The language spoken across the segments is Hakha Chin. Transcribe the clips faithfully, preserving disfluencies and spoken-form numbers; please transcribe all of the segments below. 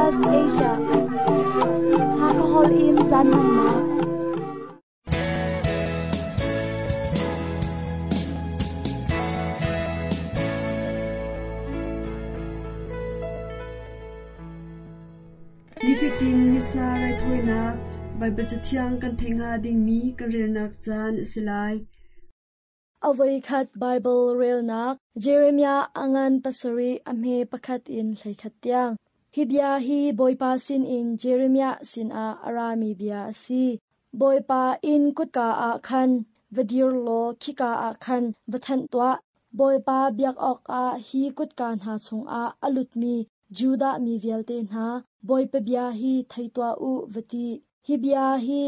S B S Asia. Hakahol in caan hmannak. Nifatin Missa raithawinak Baibal Cathiang kan theih hnga dingmi kan relnak caan a si lai. Avoikhat Bible relnak Jeremiah angan pasarih a hme pakhat in hleikhat tiang. Hi bia hi Bawipa sinin Jeremiah sinah a rami bia a si. Bawipa inn kutka ah khan va dir law khika ah khan va thanh tuah. Bawipa biak awkah hi kutka hna chungah a lutmi Judah mi vialte hna, Bawipa bia hi thei tuah u va ti. Hi bia hi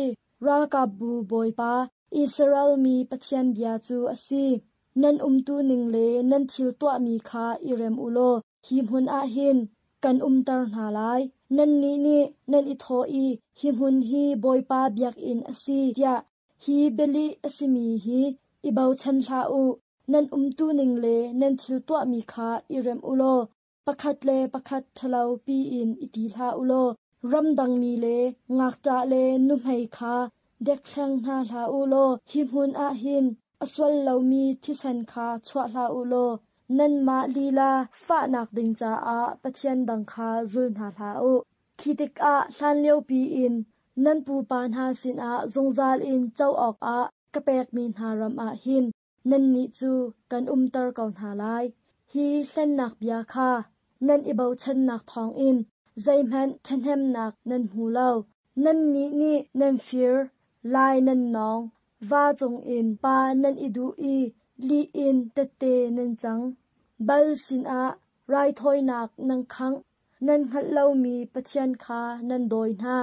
ralkapbu Bawipa, Israel mi Pathian bia cu a si. Nan umtu ning le nan thil tuahmi kha i rem u law hi hmun ah hin kan umter hna lai. Nannih nih nan i thawh i hi hmun hi Bawipa biakinn a si tiah hi bialih a simi hi i bochan hlah u. Nan umtu ning le nan thil tuahmi kha i rem u law pakhat le pakhat ṭhalo piin i ti hlah u law ramdangmi le ngakṭah le nuhmei kha dekthleng hna hlah u law hi hmun ah hin a sual lomi thisen kha chuah hlah u law nanmah lila fahnak ding caah Pathian dang kha zul hna hlah u. Khi tikah hlanlio piin nan pupa hna sinah zungzal in co awkah ka pekmi hna ram ah hin nannih cu kan umter ko hna lai. Hi hlennak bia kha nan i bochannak thawngin zeihmanh ṭhahnemnak nan hmu lo. Nannih nih nan fir, lai nan nawng, va cungin pa nan i duh i lih in tette nan cang. Bal sinah raithawinak nan khangh, nan hngalh lomi Pathian kha nan dawi hna.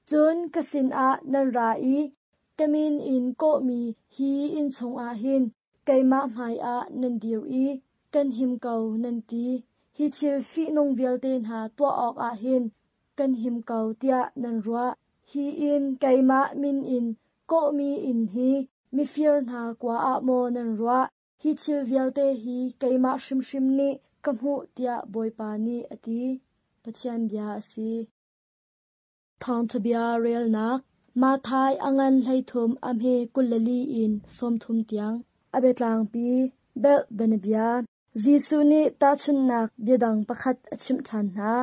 Cun ka sinah nan ra i ka min in kawhmi hi inn chungah hin keimah hmaiah nan dir i kan him ko nan ti. Hi thil fihnung vialte hna tuah awkah hin kan him ko tiah nan ruah. Hi inn keimah min in kawhmi inn hi mifir hna kua ah maw nan ruah? Hi thil vialte hi keimah hrimhrim nih ka hmuh tiah Bawipa nih a ti. Pathian bia a si. Thawngṭha bia relnak Matthai a ngan hleithum a hme kul le li in sawmthum tiang. A biatlangpi belh bianabia. Jesuh nih tahchunhnak biadang pakhat a chimh ṭhan hna.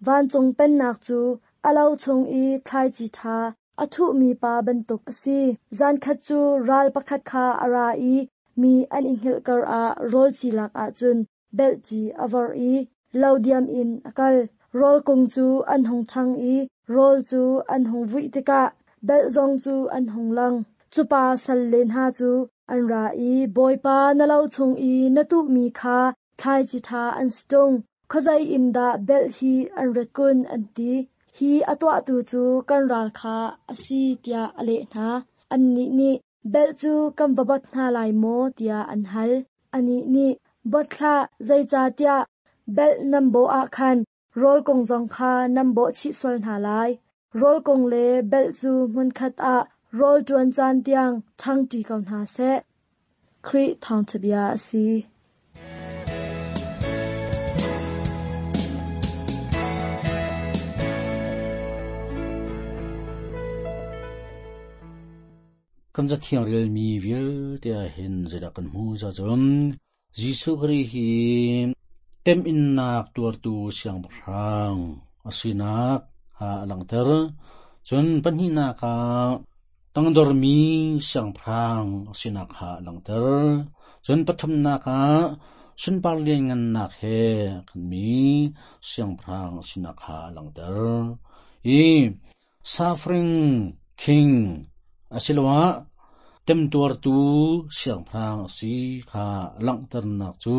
Vancung pennak cu a lo chung i thlaici ṭha a thuhmi pa bantuk a si. Zankhat cu ral pakhat kha a ra i mi an i hngilh karah rawl ci lak ahcun belhci a vorh i lo diam in a kal. Rawl kung cu an hung ṭhang i rawl cu an hung vuih tikah belh zong cu an hung lang. Cupa salle hna cu an ra i Bawipa na lo chung i na tuhmi kha thlaici ṭha an si ṭung. Khuazei in dah belh hi an rat kun an ti. Hi a tuahtu cu kan ral kha a si tiah a leh hna. Annih nih belh cu kan va bot hna lai maw tiah an hal. Anih nih bot hlah, zeicahtiah belh nan bawh ah khan rawl kung zong kha nan bawh chih sual hna lai. Rawl kung le belh cu hmunkhat ah rawl ṭuan caan tiang ṭhangṭi ko hna seh. Khrih thawngṭha bia a si. Kan cathiang relmi vialte ah hin zeidah kan hmu za cun Jesuh Khrih hi temhinnak tuartu siangpahrang a sinak ha a langhter. Cun pahnihnak ah tangdormi siangpahrang a sinak kha a langhter. Cun pathumnak ah sunpar lianngannak he a khatmi siangpahrang a sinak kha a langhter. I suffering king asiloah temtuartu siangpahrang a si kha langhternak cu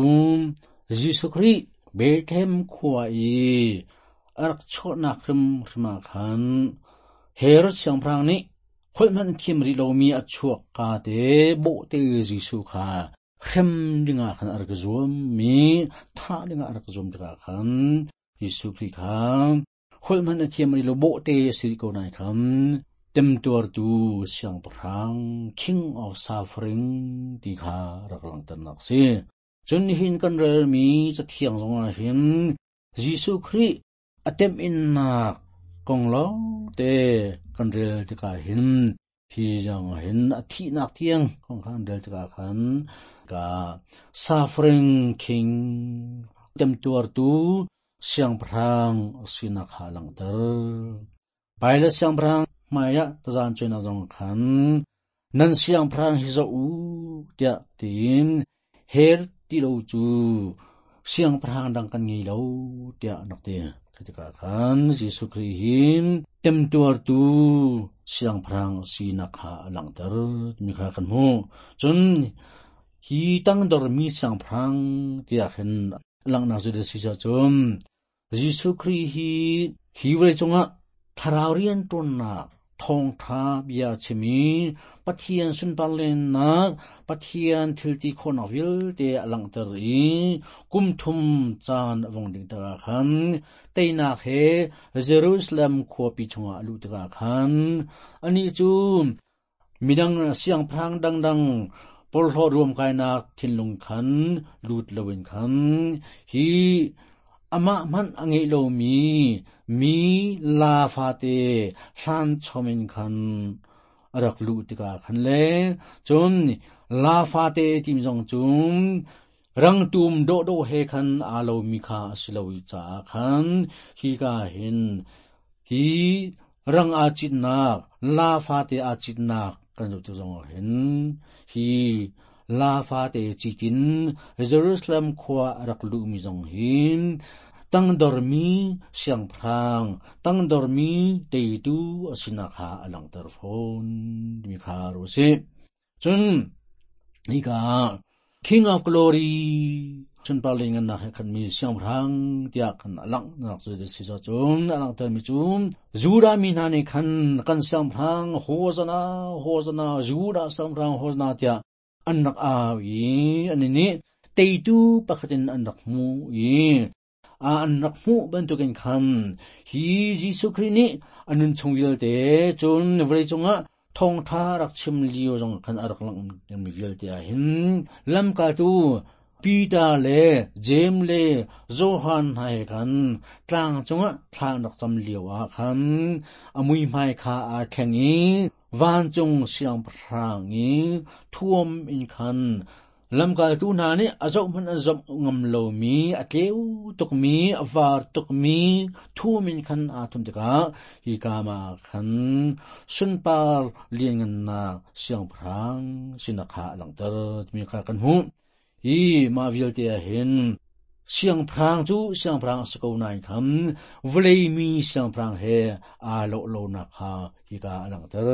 Jesuh Khrih Bethlehem khua i a rak chuahnak hrimhrim ah khan Herod siangpahrang nih holh hmanh thiam rih lomi a chuak ka te bawhte Jesuh kha hrem dingah khan a rak zuam mi thah dingah a rak zuam tikah khan Jesuh Khrih kha holh hmanh a thiam rih lo bawhte a si ko nain khan temtuartu siangpahrang King of Suffering ti kha rak langhternak a si. Cun nihin kan relmi cathiang zongah hin Jesuh Khrih Atem in nak kong lo te kan rel tika hin hi jang hin a thi nak tiang kong khan rel tika khan ka suffering king tem tuar tu siang prang sina kha lang ter paila siang prang maya tazan chena jong khan nan siang prang hi zo u tia tin her ti lo chu siang prang dang kan ngi lo tia nak te ketika khan Jesu Christ hin tem tuar tu siang prang sina kha lang ter mi kha kan mu chun hi tang dor mi siang prang tia khen lang na zu de si cha chum Jesu Christ hi hi we chunga tharau rian ton na thong tha bia chimi pathian sun parlen na pathian thilti khon avil te alang ter i kum thum chan awong ding ta khan teina he Jerusalem kho pi chunga alu ta khan ani chu midang siang phrang dang dang pol ho ruam kai na thinlung khan lut lowin khan hi ama man ange lo mi mi la fa te hlan chomin khan rak lu tika khan le chun la fa te tim jong chum rang tum do do he khan a lo mi kha silo cha khan hi ka hin hi rang a chin nak la fa te a chin nak kan zo tu jong hin hi la fa te chi tin Jerusalem khwa rak lu mi jong hin tang dor mi siang phrang tang dor mi te tu asina kha alang tar phone mi kha ro se chun ni ka King of Glory chun pa ling na khan mi siang phrang tia khan alang nak chu de si cha chun alang tar mi chun Juda mi na ne khan kan siang phrang hosana hosana Juda siang phrang hosana tia an nak a i ani ni teitu pakhatin an nak mu i a an nak mu bantukin khan hi Jesu Christ ni anun chungil te chun vlei chunga thong tha rak chim liu jong khan arak lang mi vil te a hin lam ka tu Peter le James le Johan hai khan tlang chunga thlang rak cham liu a khan amui mai kha a thengi van chung siang phrang i thuam in khan lamkal tu na ni azau man azam ngam lo mi atleu tuk mi awar tuk mi thuam in khan a thum tika hi kama khan sunpar lian na siang phrang sinakha langter mi kha kan hu hi ma vil te hin siang phrang chu siang phrang sko nai kham vlei mi siang phrang he a lo lo na kha hi ka lang ter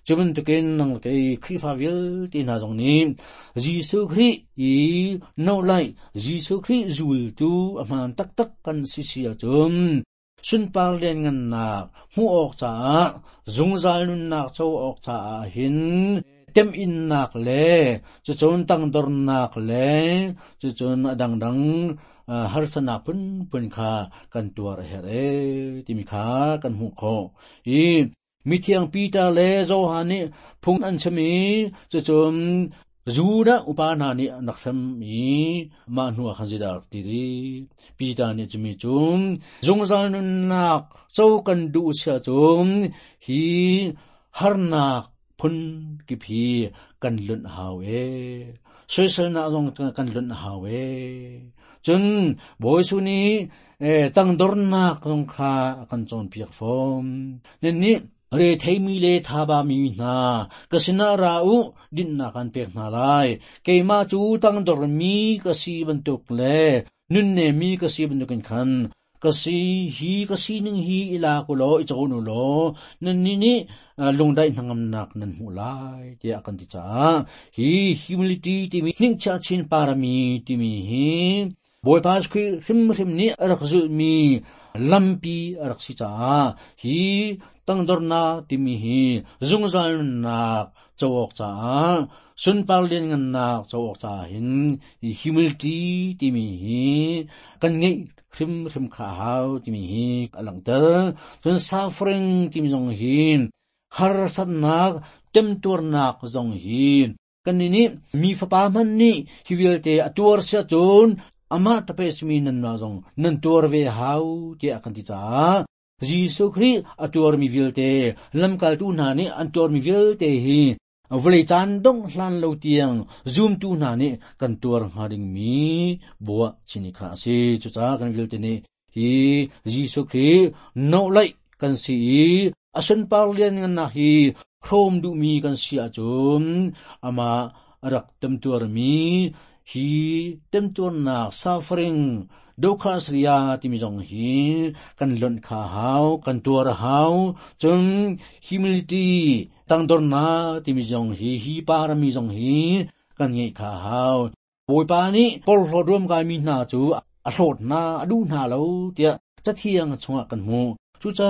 chuman tukin nang ke khrifa vil ti na jong ni Jesu Christ i no lai Jesu Christ zul tu aman tak tak kan si si a chum sun par len ngan na mu ok cha zungzal nun nak chau ok cha hin tem in nak le chu chon tang dor nak le chu chon adang dang har sana pun pun kha kan tuar her e ti mi kha kan hu kho i mi thiang Peter le Johan ni phung an chami chu chon Juda upa na ni nak tham i ma hnu khan zida ti ri Peter ni chumi chum zungzal nun nak chau kan du sia chum hi har nak phun ki phi kan lun haw e social na jong kan lun haw e chun boi su ni e tang dor nak jong kha kan chon piak phom nen ni re thei mi le tha ba mi na ka sina ra u din na kan pek na lai keima chu tang dor mi ka si ban tuk le nun ne mi ka si ban tuk khan kasi hi kasi ning hi ila ko lo i chaw nu lo nan ni ni lung dai nangam nak nan mu lai ti akan ti cha hi humility ti mi ning cha chin parami ti mi hi boy pas khi hrim hrim ni rak zu mi lampi rak si cha hi tangdor na ti mi hi zungzal nak chawok cha sun par len ngan nak chawok cha hin hi humility ti mi hi kan ngai hrim hrim kha hau ti mi hi alang ter chun suffering ti mi jong hi har sat nak tem tur nak jong hi kan ni mi fa pa man ni hi vilte atuar sia chun Ama tape smi nan na zong nan tuar ve hau ti akan ti cha Jesu Khrih atuar mi vialte lamkal tu hna nih an tuar mi vialte hi vawlei caan dong hlan lo tiang zoom tu hna nih kan tuar hnga ding mi bua chini kha a si chu cha kan vialte nih hi Jesu Khrih no lai kan si i asun par lian ngan na hi hrom du mi kan si achun ama rak temtuar mi hi temtuar nak suffering dokha sriya timi jong hi kan lon kha hau kan tuar hau chun humility tangdor na timi jong hi hi parami jong hi kan ngai kha hau boipa ni pol hlo rum kai mi na chu a hlot na adu na lo tia chathiang chunga kan mu chu cha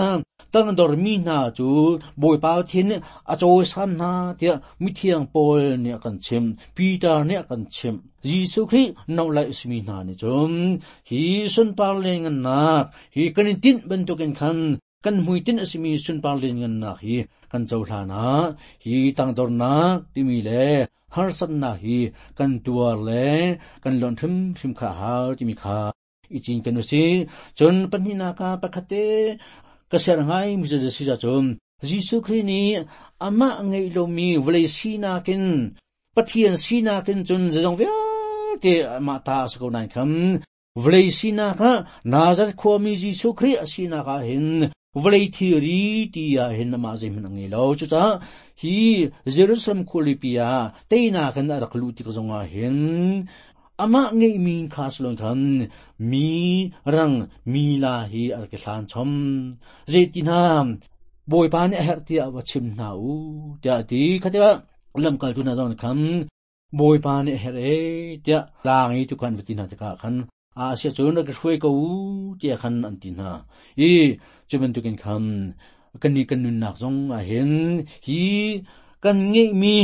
tangdor mi na chu boipa thin a chawi san na tia mi thiang pol ne kan chim Peter ne kan chim Jesu Khrih no lai smi na ni chum hi sun par le ngan nak hi kan tin bantukin khan kan mui tin asimi sun par le ngan nak hi kan chaw hla na hi tangdor na timi le har san na hi kan tuar le kan lon thim thim kha ha timi kha ichin kan usi chun panhi na ka pakhate ka ser ngai mi je si ja chun Jesu Khrih ni ama ngei lo mi vlei si na kin pathian si na kin chun jong vialte ama ta sa ko nai kham vlei si na ka Nazareth khua mi Jesu Khrih si na ka hin vlei thiri ti ya hin ama zai man ngai lo chu cha hi Jerusalem khulipia teina kan arak lu ti ka zonga hin ama ngei mi khas lon khan mi rang mi la hi ar ke hlan chom zeitina boi pa ne her tia wa chim na u tia ti khatia lam kal tu na zong kham boi pa ne her e tia lang i tu kan vati na ka khan a sia chu na ka hrui ko u tia khan an ti na i chuman tu kin kham kan ni kan nun nak zong a hin hi kan ngei mi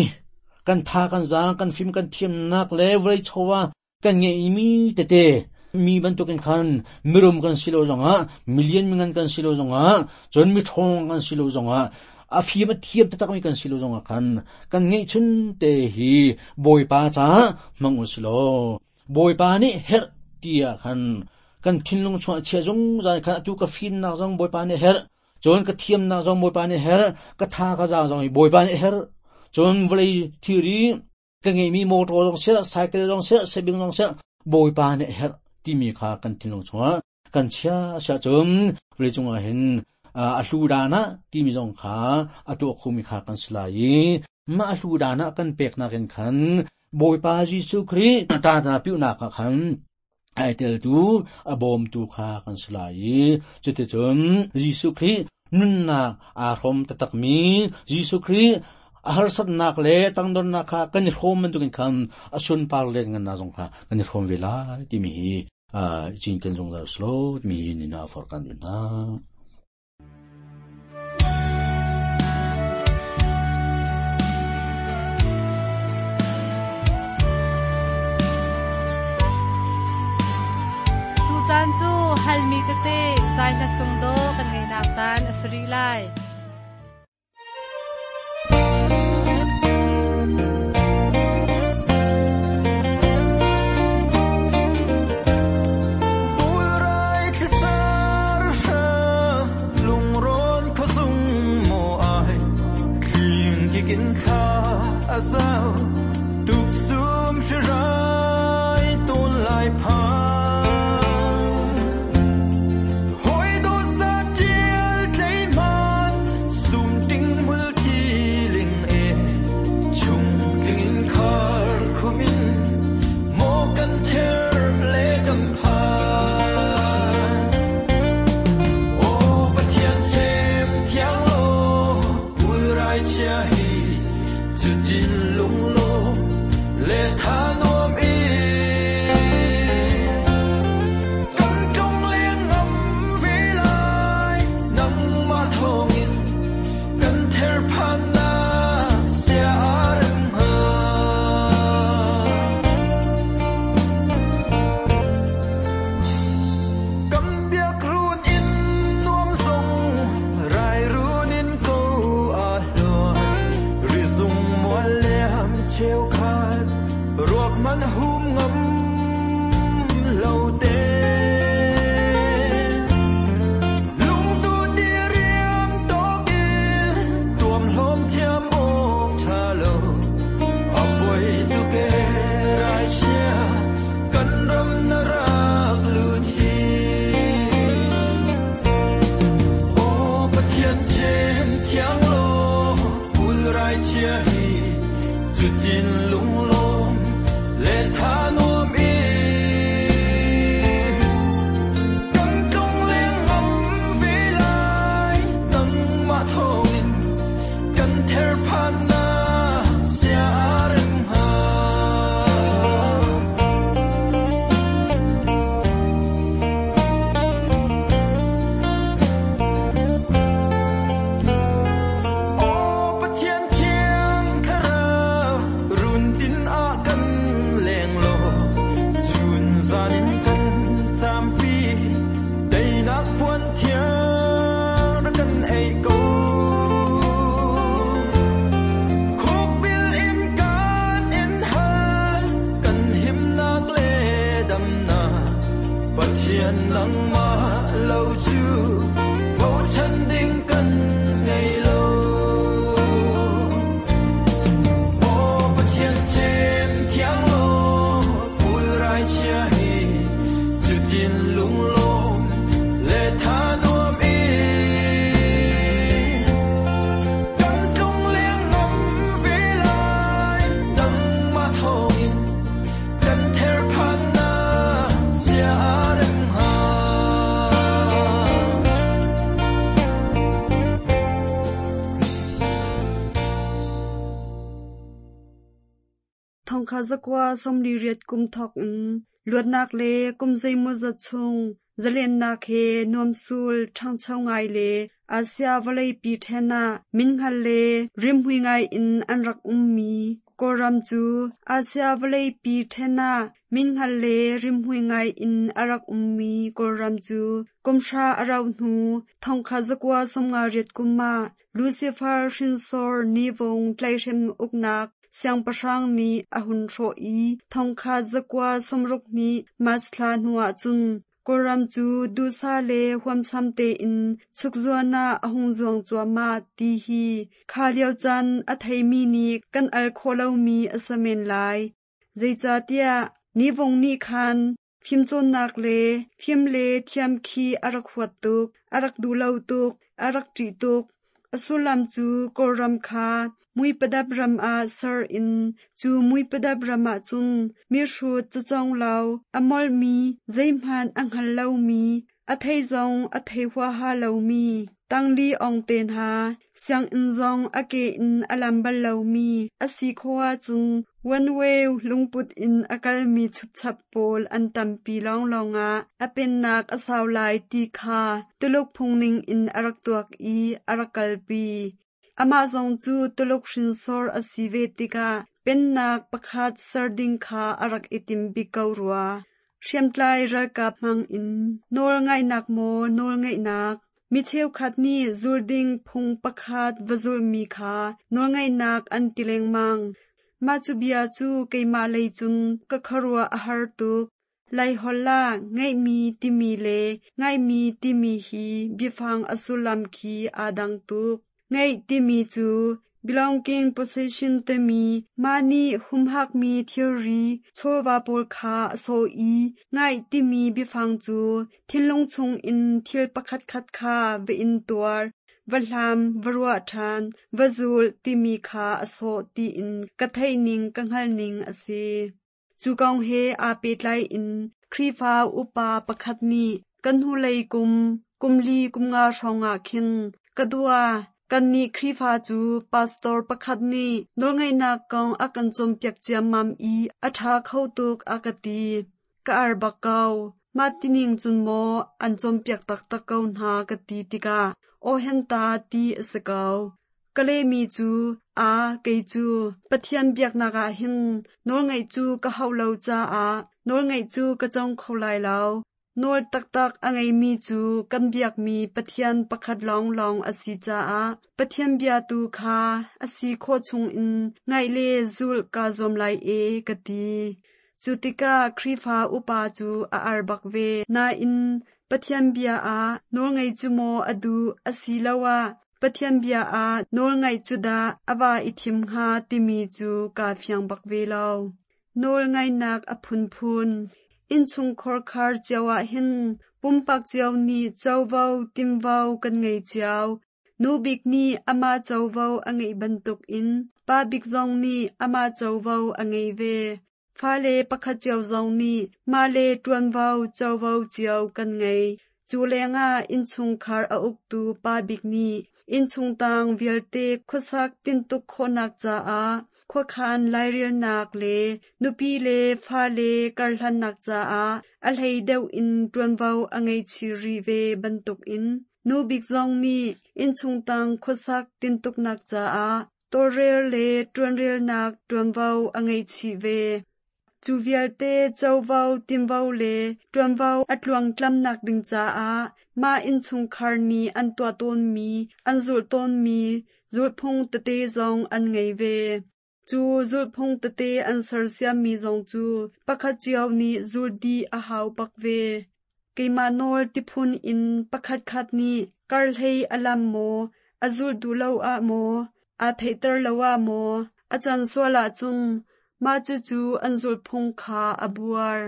kan tha kan za kan phim kan thiam nak le vlei chowa kan ngei mi te te mi bantukin khan mirum kan silo zonga million mingan kan silo zonga chon mi thong kan silo zonga a phim a thiam ta tak mi kan silo zonga khan kan ngei chun te hi boi pa cha mang u silo boi pa ni her tia khan kan thinlung chua che zong zai khan tu ka phim nak zong boi pa ni her chon ka thiam nak zong boi pa ni her ka tha ka za zong boi pa ni her chon vlei thiri ka ngei mi motor zong se cycle zong se sebing zong se boi pa ni her ti mi kha kan thinlung chua kan chia sia chum vlei chunga hin a hlu da na ti mi zong kha a tu khu mi kha kan slai ma hlu da na kan pek na ken khan boi pa Jesu Khrih ta ta piu na kha khan ai tel tu a bom tu kha kan slai chute chum Jesu Khrih nun na a hrom ta tak mi Jesu Khrih a har sat nak le tangdon na kha kan hrom man tu kin khan asun par le ngan na zong kha kan hrom ve la ti mi hi a chin kan zong da slo mi ni na for kan na tu chan chu halmi te te zai na sung do kan ngai nak chan asri lai Azao tuk sum shirai ton lai pha hoi do sa tiel tlei man sum ting mul ki ling e chung tling khar khumin mo kan ther le kan pha o pathian chem thiang lo pul rai chia hi Chut in lung lo Pathian chem thiang lo pul rai chia hi chu tin lung lom le tha nuam i kan tlung leng ngam ve lai nang ma thong in kan ther phan na sia rem ha. O Pathian thiang thlarau run tin a kan leng lo chun zan in kan champi teinak puan thiang ra kan ei ko. Khuk bil in kan in hal kan him nak le dam na Pathian nang ma lo chu bo chan ding kan ngei lo. O Pathian chem thiang lo pul rai chia hi chu tin lung lom le tha nuam i kan tlung leng ngam ve lai nang ma thong in kan ther phan na sia rem ha. Thongkha zakwa somli riat kum thok in luatnak le kum zeimaw zat chung zalennak he nuamsul ṭhangcho ngai le Asia vawlei pi ṭhen ah minhngal le rimhmui ngai in an rak ummi Kawlram cu Asia vawlei pi ṭhen ah minhngal le rimhmui ngai in a rak ummi Kawlram cu kumhra a rauh hnu thongkha zakwa sawmnga riat kum ah Lucifer hrinsor Nivung tlaihhrem uknak siangpahrang nih a hun hrawh i thongkha zakwa sawmruk hnih March thla hnuah cun Kawlram cu duhsah le huamsam tein chukzuan ah a hung zuang cuahmah ti hi kha lio caan a theimi nih kan al khawh lomi a si men lai. Zeicahtiah Nivung nih khan fimcawnnak le fim le thiam khi a rak huat tuk, a rak duh lo tuk, a rak ṭih tuk. A sullam cu Kawlram kha muipadap ram ah ser in cu muipadap ram ah cun mihrut cacawng lo, a molhmi, zeihmanh a hngal lomi, a thei zong a thei huaha lomi, tangli ong te hna, sianginn zong a ke in a lam bal lomi, a si khawh ahcun one way lungput in a kalmi chupchap pawl an tampi lawnglawng ah a pennak a sau lai ti kha Tuluk phungning in a rak tuak i a rak kalpi. Amah zong cu Tuluk hrinsor a si ve tikah pennak pakhat ser ding kha a rak i tim bik ko rua. Hriamtlai ralkap hmang in nawl ngaihnak maw nawl ngeihnak, mi cheukhat nih zul ding phung pakhat va zulmi kha nawlngaihnak an ti lengmang. Mah cu bia cu keimah lei cun ka khuaruah a har tuk. Laiholh ah ngeihmi timi le ngaihmi timi hi biafang a sullam khi aa dang tuk. Ngeih timi cu belonging possession timi mah nih humhakmi thilri chawva pawl kha a sawh i ngaih timi biafang cu thinlung chungin thil pakhatkhat kha va in tuar, va hlam, va ruah ṭhan, va zul timi kha a sawh tiin ka theihning ka hngalhning a si. Cu kong he aa pehtlai in Khrihfa upa pakhat nih kan hnulei kum, kum li kum nga hrawngah khin ka dua kannih Khrihfa cu pastor pakhat nih nawlngaihnak kong a kan cawnpiak ciammam i a ṭha kho tuk a ka ti. Ka ar bak ko. Mah tining cun maw an cawnpiak taktak ko hna ka ti tikah aw hen ta ti a si ko. Ka lehmi cu a kei cu Pathian biaknak ah hin nawlngaih cu ka hauh lo caah nawlngaih cu ka cawng kho lai lo. Nawl taktak a ngeimi cu kan biakmi Pathian pakhat lawnglawng a si caah Pathian bia tu kha a si khawh chungin ngaih le zulh kaa zuam lai e ka ti. Cu tikah Khrihfa upa cu a ar bak ve. Nain Pathian bia ah nawlngaih cu maw a duh asiloah Pathian bia ah nawlngaih cu dah a va i thim hnga timi cu kaa fiang bak ve lo. Nawlngaihnak a phunphun. Innchungkhar khar cio ah hin pumpak cio nih covo timvo kan ngei cio. Nu bik nih amah covo a ngeih bantukin pa bik zong nih amah covo a ngei ve. Fale pakhat cio zong nih mah le ṭuanvo covo cio kan ngei. Cu lengah innchungkhar a uktu pa bik nih innchungtang vialte khuasak tintuk khawhnak caah khuakhan lairelnak le nupi le fale karhlannak caah a hlei deuh in ṭuanvo a ngei chih rih ve bantukin nu bik zong nih innchungtang khuasak tintuknak caah tawlrel le ṭuanrelnak ṭuanvo a ngei chih ve. Cu vialte covo tinvo le ṭuanvo a tluangtlamnak ding caah mah innchungkhar nih an tuah tawnmi, an zulh tawnmi zulhphung tete zong an ngei ve. Cu zulhphung tete an sersiammi zong cu pakhat cio nih zulh dih a hau bak ve. Keimah nawl tiphun in pakhatkhat nih karhlei a lam maw, a zulh duh lo ah maw, aa theihter lo ah maw, a can sual ahcun mah cucu an zulhphung kha a buar.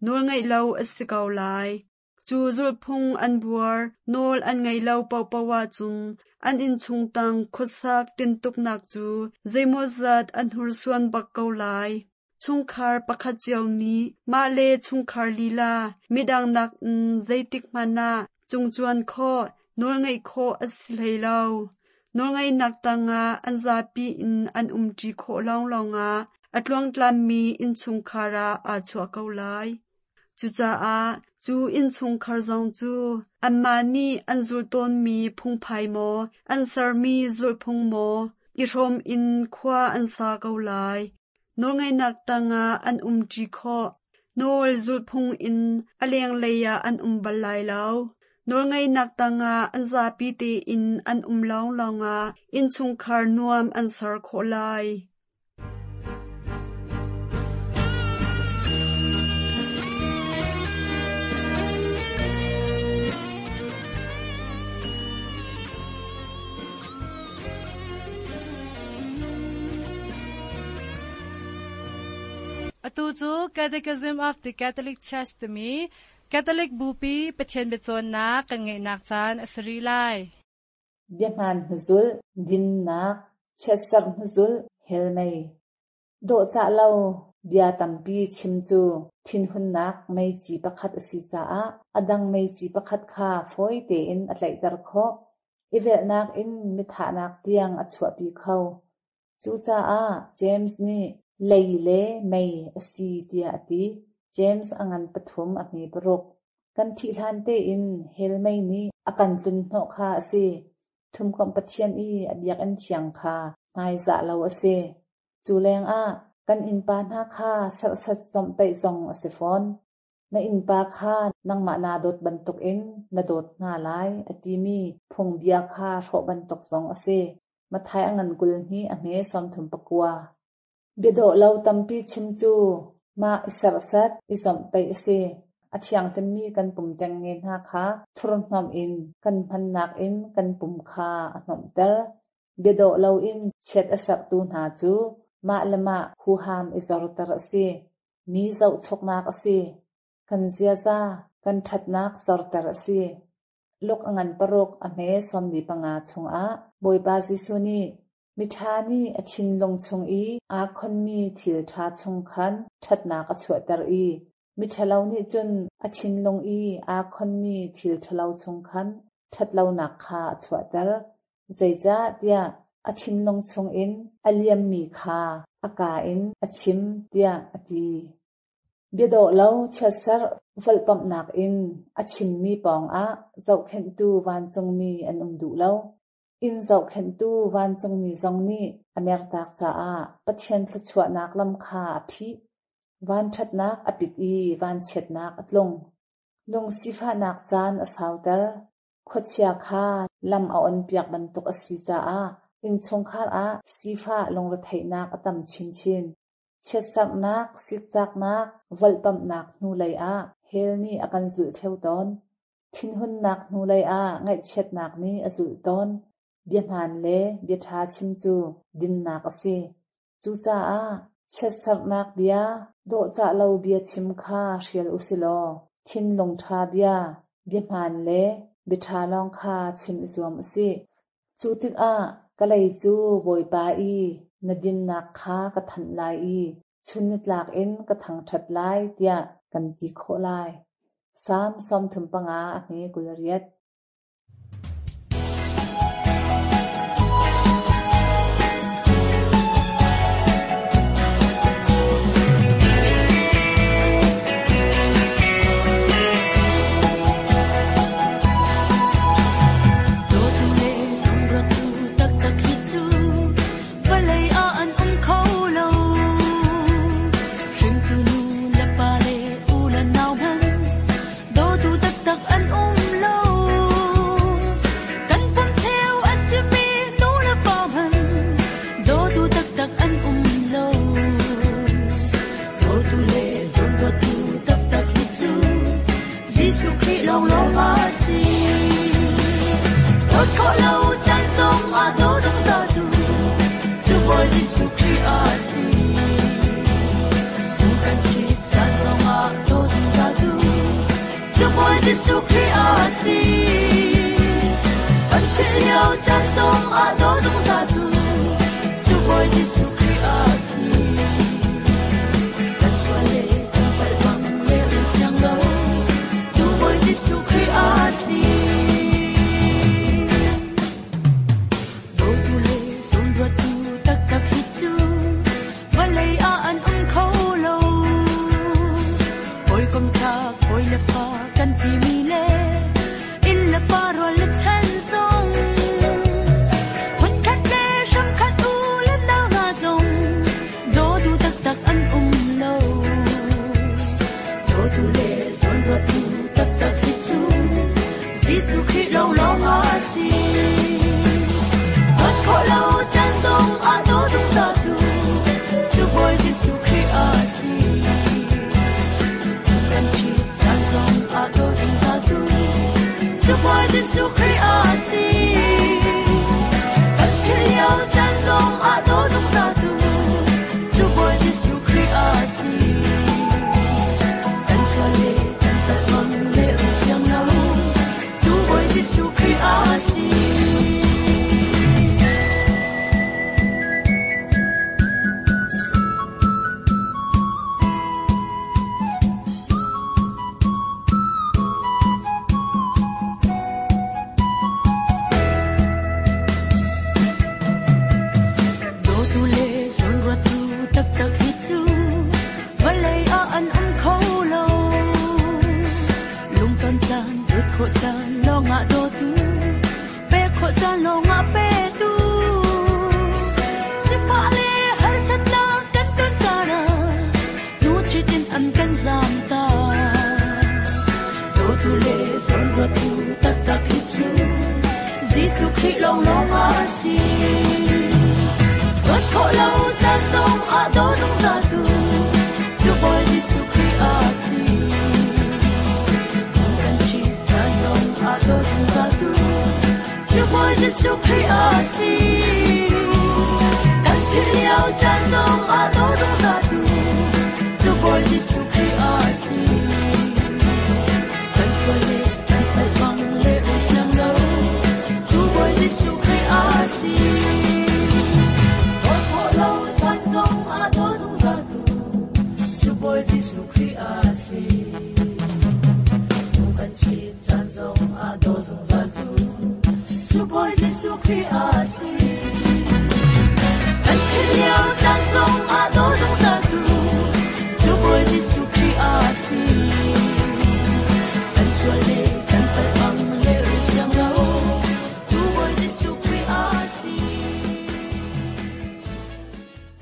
Nawlngaih lo a si ko lai. Cu zulhphung an buar, nawl an ngaih lo paohpaoh ahcun an innchungtang khuasak tintuknak cu zeimawzat an hursuan bak ko lai. Chungkhar pakhat cio nih mah le chungkhar lila midang nakin zeitik hmanh ah cungcuan khawh, nawlngaih khawh a si hlei lo. Nawlngaihnak tangah an zapi in an umṭi khawh lawnglawng ah a tluangtlammi innchungkhar ah aa chuah ko lai. Cucaah cu innchungkhar zong cu anmah nih an zulh tawnmi phungphai maw, an sermi zulhphung maw, i hrawm in khua an sa ko lai. Nawlngaihnak tangah an umṭi khawh. Nawl zulhphung in a lenglei ah an um bal lai lo. Nawlngaihnak tangah an zapi tein an um lawnglawng ah innchungkhar nuam an ser khawh lai. Atu cu Catechism of the Catholic Church timi Catholic Bupi Pathian biacawnnak kan ngeihnak caan a si rih lai. Biahmaan hnuzul, dinnak, chiatserh hnuzul, helmei. Dawhcah lo bia tampi chim cu thinhunnak meici pakhat a si caah a dang meici pakhat kha fawi tein a tlaihter khawh. I velhnak in mithahnak tiang a chuahpi kho. Cucaah James nih lei le mei a si tiah a ti. James a ngan pathum a hme paruk. Kan thih hlan tein hell mei nih a kan tlun hnawh kha a si. Thumkomh Pathian i a biakinn thiang kha hmaizah lo a si. Cu lengah kan innpa hna kha serhsat zawmhtaih zong a si fawn. Na innpa kha nangmah naa dawt bantukin na dawt hna lai a timi phungbia kha hrawh bantuk zong a si. Matthai a ngan kul hnih a hme sawmthum pakua. Biadawh lo tampi chim cu mah i serhsat i zawmhtaih a si. A thianghlimmi kan pum ṭengnge hna kha thurhhnawmh in kan hmannak in kan pum kha a hnawmhter. Biadawh loin chiat a serhtu hna cu mah le mah huham i zorter a si. Mi zohchuknak a si. Kan ziaza, kan ṭhatnak zorter a si. Luk a ngan paruk a hme sawmli panga chungah Bawipa Jesuh nih miṭha nih a thinlung chung i aa khonmi thil ṭha chung khan ṭhatnak a chuahter i miṭhalo nih cun a thinlung i aa khonmi thil ṭhalo chung khan ṭhatlonak kha a chuahter. Zeicahtiah a thinlung chungin a liammi kha a kaa in a chim tiah a ti. Biadawh lo chiatserh volhpamhnak in a chimmi pawngah zohkhenhtu vancungmi an um duh lo. Inn zohkhenhtu vancungmi zong nih a mertak caah Pathian thluachuahnak lam kha a phih. Vanṭhatnak a pit i vanchiatnak a tlung. Lungsifahnak caan a sauter. Khuachia kha lam a onpiak bantuk a si caah innchungkhar ah sifah lungretheihnak a tam chinchin. Chiatserhnak, sikcaknak, volhpamhnak hnulei ah hell nih a kan zulh ṭheo tawn. Thinhunnak hnulei ah ngaihchiatnak nih a zulh tawn. Biahmaan le biaṭha chim cu dinnak a si. Cucaah chiatserhnak bia, dawhcah lo bia chim kha hrial usilaw thinlung ṭha bia, biahmaan le biaṭha lawng kha chim i zuam usih. Cu tikah ka lei cu Bawipa i na dinnak kha ka thanh lai i chun nitlak in ka thangṭhat lai tiah kan ti khawh lai. Salm sawmthum panga a hme kul riat.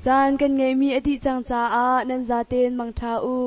Caan kan ngeihmi a dih cang caah nan zaten mangṭha u.